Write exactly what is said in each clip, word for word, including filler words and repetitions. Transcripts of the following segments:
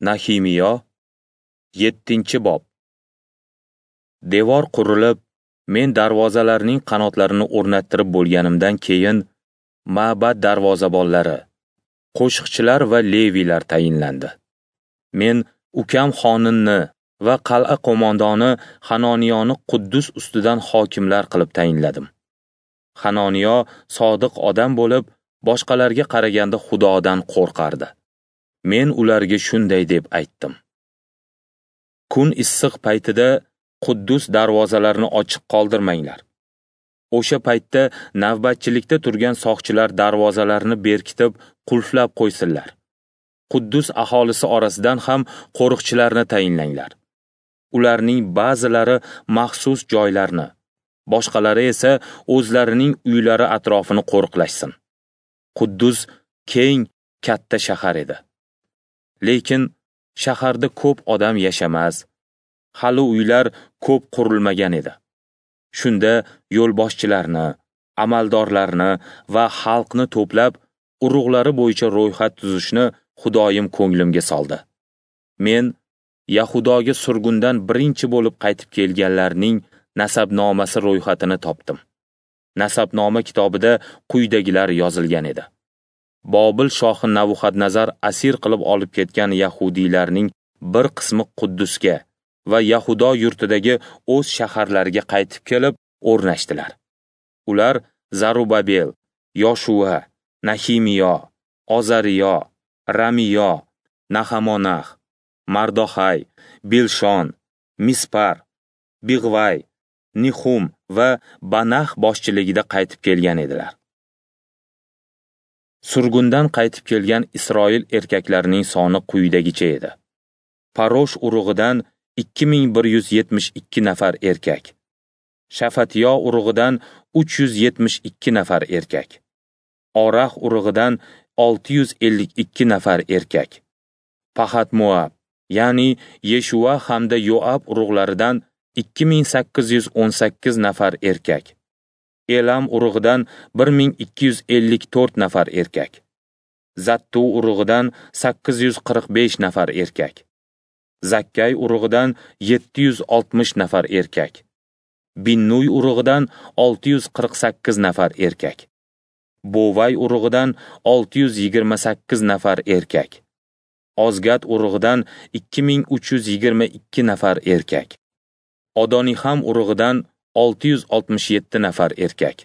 Nahimiyo, yettinchi bob. Devor qurilib, men darvozalarning qanotlarini o'rnattirib bo'lganimdan keyin ma'bad darvozabonlari, qo'shiqchilar va leviylar tayinlandi. Men ukam Xoninni va qal'a qo'mondoni Hanoniyoni Quddus ustidan hokimlar qilib tayinladim. Hanoniyo sodiq odam bo'lib, boshqalarga qaraganda Xudodan qo'rqardi. Men ularga shunday deb aytdim: Kun issiq paytida Quddus darvozalarini ochiq qoldirmanglar. O'sha paytda navbatchilikda turgan soqchilar darvozalarni berkitib, qulflab qo'ysinlar. Quddus aholisi orasidan ham qo'riqchilarni tayinlanglar. Ularning ba'zilari maxsus joylarni, boshqalari esa o'zlarining uylari atrofini qo'riqlashsin. Quddus keng, katta shahar edi. Lekin shaharda ko'p odam yashamas, hali uylar ko'p qurilmagan edi. Shunda yo'lboshchilarni, amaldorlarni va xalqni to'plab, urug'lari bo'yicha ro'yxat tuzishni Xudoyim ko'nglimga soldi. Men Yahudoga surgundan birinchi bo'lib qaytib kelganlarning nasabnomasi ro'yxatini topdim. Nasabnoma kitobida quyidagilar yozilgan edi. Bobil shohi Nabuxadnazar asir qilib olib ketgan yahudiylarning bir qismi Quddusga va Yahudo yurtidagi o'z shaharlariga qaytib kelib o'rnashdilar. Ular Zarubabel, Yoshua, Nahimiyo, Ozariyo, Ramiyo, Nahamonah, Mardoxay, Bilshon, Mispar, Big'vay, Nihum va Banah boshchiligida qaytib kelgan edilar. Surgundan qaytib kelgan Isroil erkaklarining soni quyidagicha edi. Parosh urug'idan ikki ming bir yuz yetmish ikki nafar erkak, Shafatiyo urug'idan uch yuz yetmish ikki nafar erkak, Orax urug'idan olti yuz ellik ikki nafar erkak, Pahat-Moab, ya'ni Yeshua hamda Yoab urug'laridan ikki ming sakkiz yuz o'n sakkiz nafar erkak, Elam urug'idan bir ming ikki yuz ellik to'rt nafar erkak, Zattu urug'idan sakkiz yuz qirq besh nafar erkak, Zakkay urug'idan yetti yuz oltmish nafar erkak, Binnuy urug'idan olti yuz qirq sakkiz nafar erkak, Bovay urug'idan olti yuz yigirma sakkiz nafar erkak, Ozgat urug'idan ikki ming uch yuz yigirma ikki nafar erkak, Odoniham urug'idan olti yuz oltmish yetti nafar erkak,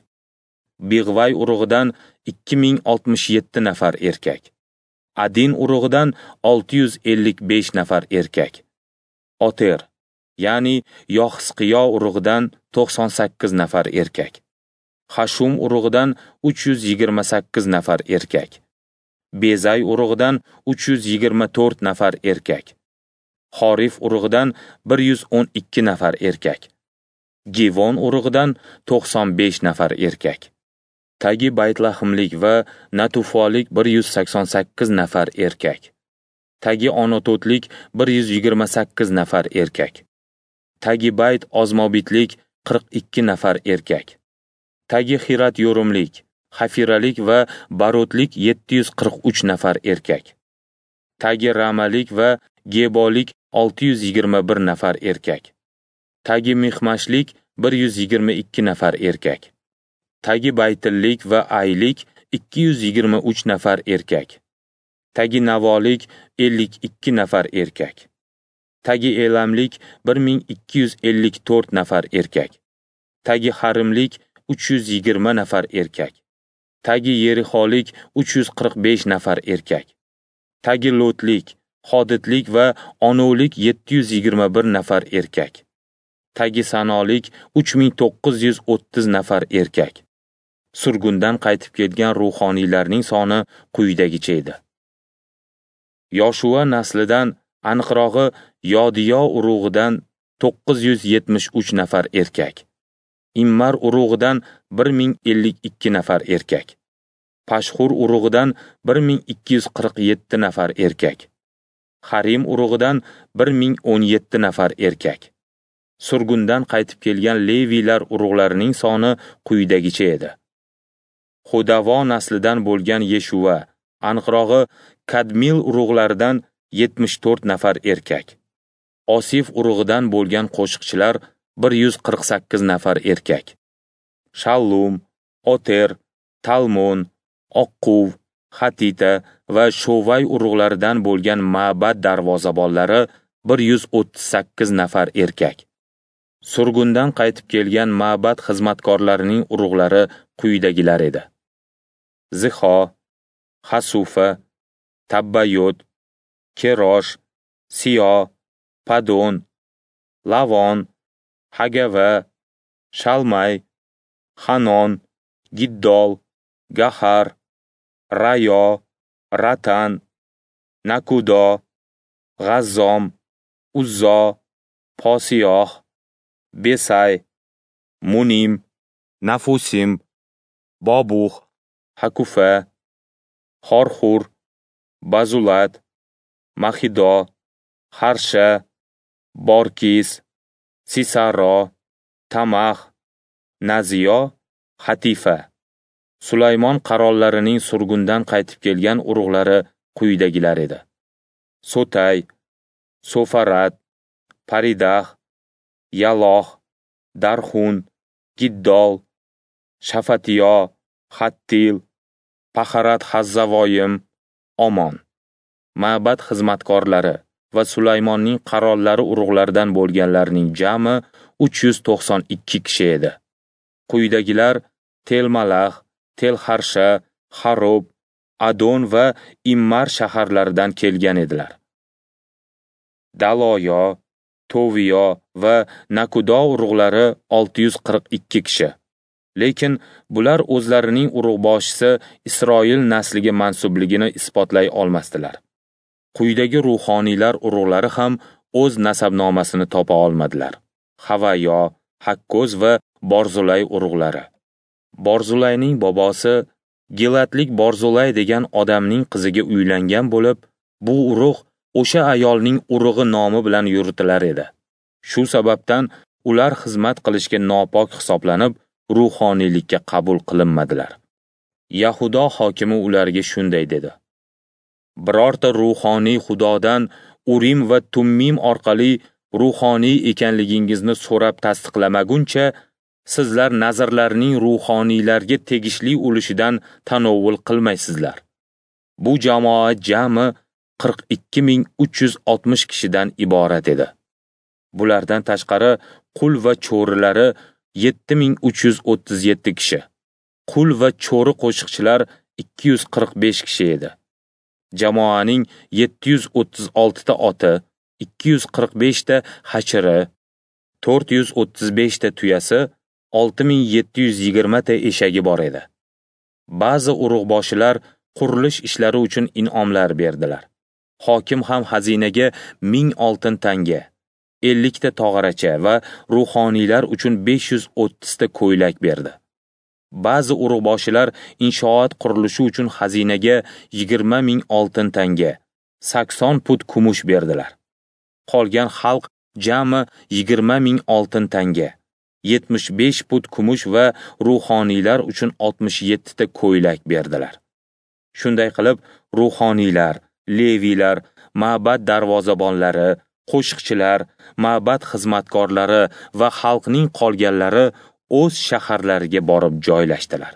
Big'vay urug'idan ikki ming oltmish yetti nafar erkak, Adin urug'idan olti yuz ellik besh nafar erkak, Oter, ya'ni Yoxisqiyo urug'idan to'qson sakkiz nafar erkak, Hashum urug'idan uch yuz yigirma sakkiz nafar erkak, Bezay urug'idan uch yuz yigirma to'rt nafar erkak, Xorif urug'idan bir yuz o'n ikki nafar erkak, Givon urug'idan to'qson besh nafar erkak, Tagi Baytlahimlik va Natufolik bir yuz sakson sakkiz nafar erkak, Tagi Onototlik bir yuz yigirma sakkiz nafar erkak, Tagi Bayt Ozmobitlik qirq ikki nafar erkak, Tagi Xirat Yorumlik, Xafiralik va Barotlik yetti yuz qirq uch nafar erkak, Tagi Ramalik va Gebolik olti yuz yigirma bir nafar erkak, Tagi Mixmashlik bir yuz yigirma ikki nafar erkak, Tagi Baytillik va Aylik ikki yuz yigirma uch nafar erkak, Tagi Navolik ellik ikki nafar erkak, Tagi Elamlik bir ming ikki yuz ellik to'rt nafar erkak, Tagi Harimlik uch yuz yigirma nafar erkak, Tagi Yerixolik uch yuz qirq besh nafar erkak, Tagi Lotlik, Hodidlik va Onolik yetti yuz yigirma bir nafar erkak, Tagi Sanolik uch ming to'qqiz yuz o'ttiz nafar erkak. Surgundan qaytib kelgan ruhoniylarning soni quyidagicha edi. Yoshua naslidan, aniqrog'i Yodiyo urug'idan to'qqiz yuz yetmish uch nafar erkak, Immar urug'idan bir ming ellik ikki nafar erkak, Pashxur urug'idan bir ming ikki yuz qirq yetti nafar erkak, Harim urug'idan bir ming o'n yetti nafar erkak. Surgundan qaytib kelgan leviylar urug'larining soni quyidagicha edi. Xudavo naslidan bo'lgan Yeshua, aniqrog'i Kadmil urug'laridan yetmish to'rt nafar erkak. Osif urug'idan bo'lgan qo'shiqchilar bir yuz qirq sakkiz nafar erkak. Shallum, Oter, Talmon, Oqquv, Hatita va Shovay urug'laridan bo'lgan ma'bad darvozabonlari bir yuz o'ttiz sakkiz nafar erkak. Surgundan qaytib kelgan ma'bad xizmatkorlarining urug'lari quyidagilar edi: Zixo, Hasufa, Tabbayot, Kerosh, Siyo, Padon, Lavon, Hagava, Shalmay, Hanon, Giddol, Gahar, Rayo, Ratan, Nakudo, G'azzom, Uzzo, Posiyoh, Besay, Munim, Nafusim, Bobuh, Hakufa, Xorxur, Bazulat, Maxido, Harsha, Borkis, Sisaro, Tamax, Naziyo, Hatifa. Sulaymon qarollarining surgundan qaytib kelgan urug'lari quyidagilar edi: Sotay, Sofarat, Paridah, Yaloh, Darxun, Giddol, Shafatiyo, Hattil, Paharat Hazzavoyim, Omon. Ma'bad xizmatkorlari va Sulaymonning qarollari urug'laridan bo'lganlarning jami uch yuz to'qson ikki kishi edi. Quyidagilar Telmalah, Telharsha, Harob, Adon va Immar shaharlaridan kelgan edilar. Daloyo, Toviyo va Nakudo urug'lari olti yuz qirq ikki kishi. Lekin bular o'zlarining urug'boshisi Isroil nasliga mansubligini isbotlay olmasdilar. Quyidagi ruhoniylar urug'lari ham o'z nasabnomasini topa olmadilar: Havayo, Hakkoz va Borzulay urug'lari. Borzulayning bobosi Gilatlik Borzulay degan odamning qiziga uylangan bo'lib, bu urug' o'sha ayolning urug'i nomi bilan yuritilar edi. Shu sababdan ular xizmat qilishga nopok hisoblanib, ruhoniylikka qabul qilinmadilar. Yahudo hokimi ularga shunday dedi: Birorta ruhoniy Xudodan Urim va Tummim orqali ruhoniy ekanligingizni so'rab tasdiqlamaguncha, sizlar nazrlarning ruhoniylarga tegishli ulushidan tanovul qilmaysizlar. Bu jamoa jami qirq ikki ming uch yuz oltmish kishidan iborat edi. Bulardan tashqari qul va cho'rilari yetti ming uch yuz o'ttiz yetti kishi. Qul va cho'ri qo'shiqchilar ikki yuz qirq besh kishi edi. Jamoaning yetti yuz o'ttiz oltita oti, ikki yuz qirq beshta hachiri, to'rt yuz o'ttiz beshta tuyasi, olti ming yetti yuz yigirmata eshagi bor edi. Ba'zi urug'boshilar qurilish ishlari uchun in'omlar berdilar. Hokim ham xazinaga ming oltin tanga, ellikta tog'aracha va ruhoniylar uchun besh yuz o'ttizta ko'ylak berdi. Ba'zi urug'boshilar inshoot qurilishi uchun xazinaga yigirma ming oltin tanga, sakson put kumush berdilar. Qolgan xalq jami yigirma ming oltin tanga, yetmish besh put kumush va ruhoniylar uchun oltmish yettita ko'ylak berdilar. Shunday qilib, ruhoniylar, leviylar, ma'bad darvozabonlari, qo'shiqchilar, ma'bad xizmatkorlari va xalqning qolganlari o'z shaharlariga borib joylashdilar.